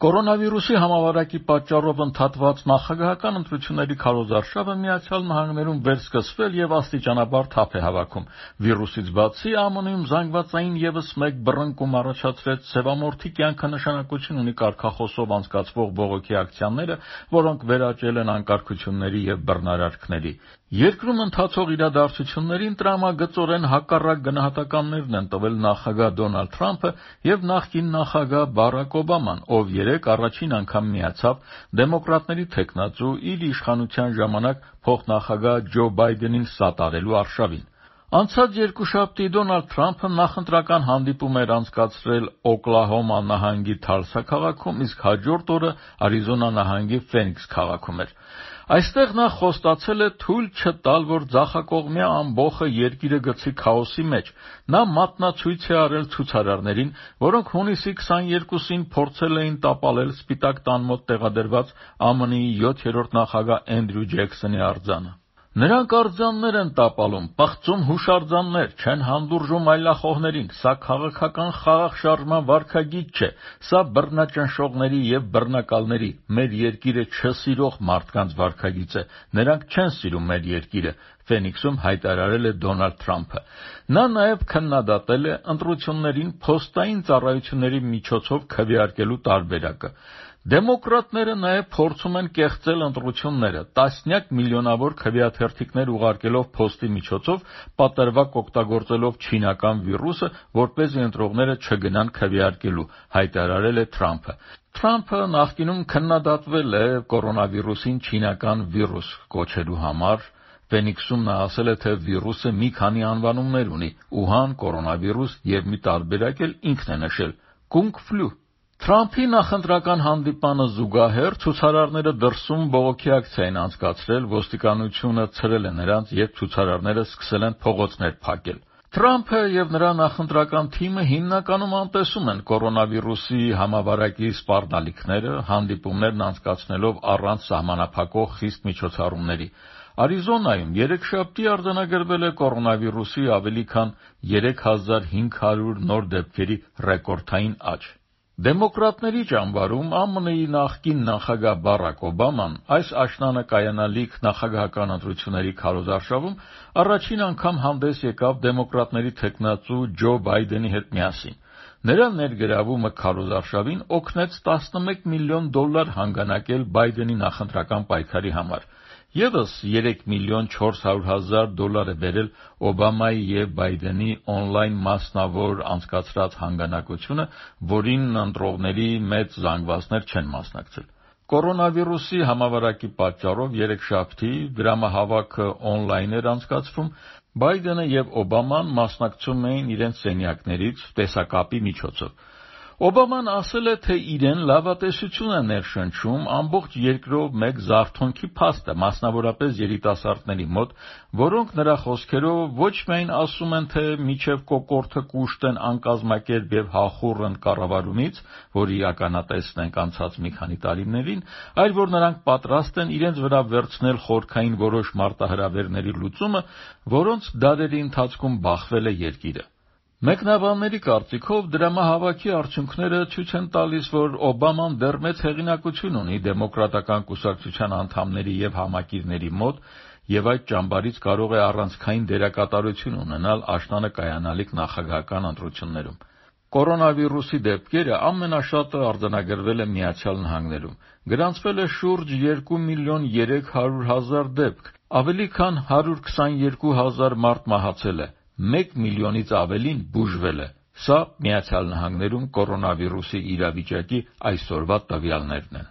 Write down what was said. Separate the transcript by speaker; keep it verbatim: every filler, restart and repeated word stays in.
Speaker 1: Կորոնավիրուսի համավարակի պատճառով ընդհատված նախագահական ընտրությունների քարոզարշավը Միացյալ Նահանգներում վերսկսվել եւ աստիճանաբար թափ է հավաքում։ Վիրուսից բացի ԱՄՆ-ում զանգվածային եւս մեկ բռնկում առաջացրեց սևամորթի կյանքը նշանակություն ունի կարգախոսով անցկացվող բողոքի ակցիաները, որոնք վերաճել են անկարգությունների եւ բռնարարքների։ Երկրում ընթացող իրադարձություններին տրամագծորեն հակառակ գնահատականներն են տվել նախագահ Դոնալդ Թրամփը եւ նախկին նախագահ Բարաք Օբաման, ով երեկ առաջին անգամ միացավ դեմոկրատների թեկնածու իր իշխանության ժամանակ փոխնախագահ Ջո Բայդենին սատարելու արշավին։ Անցած երկուշաբթի Դոնալդ Թրամփը նախընտրական հանդիպում էր անցկացրել Օկլահոմա նահանգի Թալսա քաղաքում, իսկ հաջորդ օրը Արիզոնա նահանգի Ֆենիքս քաղաքում էր։ Այստեղ նա խոստացել է թույլ չտալ, որ ձախակողմյա ամբոխը երկիրը գցի քաոսի մեջ։ Նա մատնացույց է արել ցուցարարներին, որոնք հունիսի քսաներկուսին փորձել էին տապալել Սպիտակ տան մոտ տեղադրված ԱՄՆ-ի յոթերորդ նախագահ Էնդրյու Ջեքսոնի արձանը։ Նրանք արձաններ են տապալում, պղծում հուշարձաններ, չեն հանդուրժում այլախոհներին, սա քաղաքական խաղաղ շարժման վարքագիծ չէ, սա բռնաճնշողների եւ բռնակալների, մեր երկիրը չսիրող մարդկանց վարքագիծ է, նրանք չեն սիրում մեր երկիրը, Ֆենիքսում հայտարարել է Դոնալդ Թրամփը։ Նա նաեւ քննադատել է ընտրություններին փոստային ծառայությունների միջոցով քվեարկելու տարբերակը։ Դեմոկրատները նաև փորձում են կեղծել ընտրությունները, տասնյակ միլիոնավոր քվեաթերթիկներ ուղարկելով փոստի միջոցով, պատրվակ օգտագործելով չինական վիրուսը, որպեսզի ընտրողները չգնան քվեարկելու, հայտարարել է Թրամփը։ Թրամփը նախկինում քննադատվել է կորոնավիրուսին չինական վիրուս կոչելու համար։ Ֆենիքսում նա ասել է, թե վիրուսը մի քանի անվանումներ ունի՝ Ուհան, կորոնավիրուս եւ մի տարբերակ էլ ինքն է նշել՝ Կունգ ֆլու։ Թրամփի նախընտրական հանդիպանը զուգահեռ ցուցարարները դրսում բողոքի ակցիա են անցկացրել, ոստիկանությունը ցրել է նրանց եւ ցուցարարները սկսել են փողոցներ փակել։ Թրամփը եւ նրա նախընտրական թիմը հիմնականում անտեսում են կորոնավիրուսի համավարակի սպառնալիքները, հանդիպումներն անցկացնելով առանց սահմանափակող խիստ միջոցառումների։ Արիզոնայում երեքշաբթի արձանագրվել է կորոնավիրուսի ավելի քան երեք հազար հինգ հարյուր նոր դեպքերի ռեկորդային աճ։ Դեմոկրատների ճամբարում ԱՄՆ-ի նախկին նախագահ Բարաք Օբաման այս աշնանը կայանալիք նախագահական ընտրությունների քարոզարշավում առաջին անգամ հանդես եկավ դեմոկրատների թեկնածու Ջո Բայդենի հետ միասին։ Նրա ներգրավումը քարոզարշավին օգնեց տասնմեկ միլիոն դոլար հանգանակել Բայդենի նախընտրական պայքարի համար։ Եվս երեք միլիոն չորս հարյուր հազար դոլար է բերել Օբամայի եւ Բայդենի օնլայն մասնավոր անցկացրած հանգանակությունը, որին ընտրողների մեծ զանգվածներ չեն մասնակցել։ Կորոնավիրուսի համավարակի պատճառով երեքշաբթի դրամահավաքը օնլայն էր անցկացվում, Բայդենը եւ Օբաման մասնակցում էին իրենց սենյակներից տեսակապի միջոցով։ Օբաման ասել է, թե իրեն լավատեսություն է ներշնչում ամբողջ երկրով մեկ զարթոնքի փաստը, մասնավորապես երիտասարդների մոտ, որոնք նրա խոսքերով ոչ միայն ասում են, թե մինչև կոկորդը կուշտեն անկազմակերպ եւ հախուռն կառավարումից, որի ականատեսն ենք անցած մի քանի տարիներին, այլ որ նրանք պատրաստ են իրենց վրա վերցնել խորքային որոշ մարտահրավերների լուծումը, որոնց դարերի ընթացքում բախվել է երկիրը։ Մեկնաբանների կարծիքով դրամահավաքի արդյունքները ցույց են տալիս, որ Օբաման դեռ մեծ հեղինակություն ունի դեմոկրատական կուսակցության անդամների եւ համակիրների մոտ եւ այդ ճամբարից կարող է առանցքային դերակատարություն ունենալ աշնանը կայանալիք նախագահական ընտրություններում։ Կորոնավիրուսի դեպքերը ամենաշատը արձանագրվել է Միացյալ Նահանգներում։ Գրանցվել է շուրջ երկու միլիոն երեք հարյուր հազար դեպք, ավելի քան հարյուր քսաներկու հազար մարդ մահացել է, մեկ միլիոնից ավելին բուժվել է։ Սա Միացյալ Նահանգներում կորոնավիրուսի իրավիճակի այսօրվա տվյալներն են։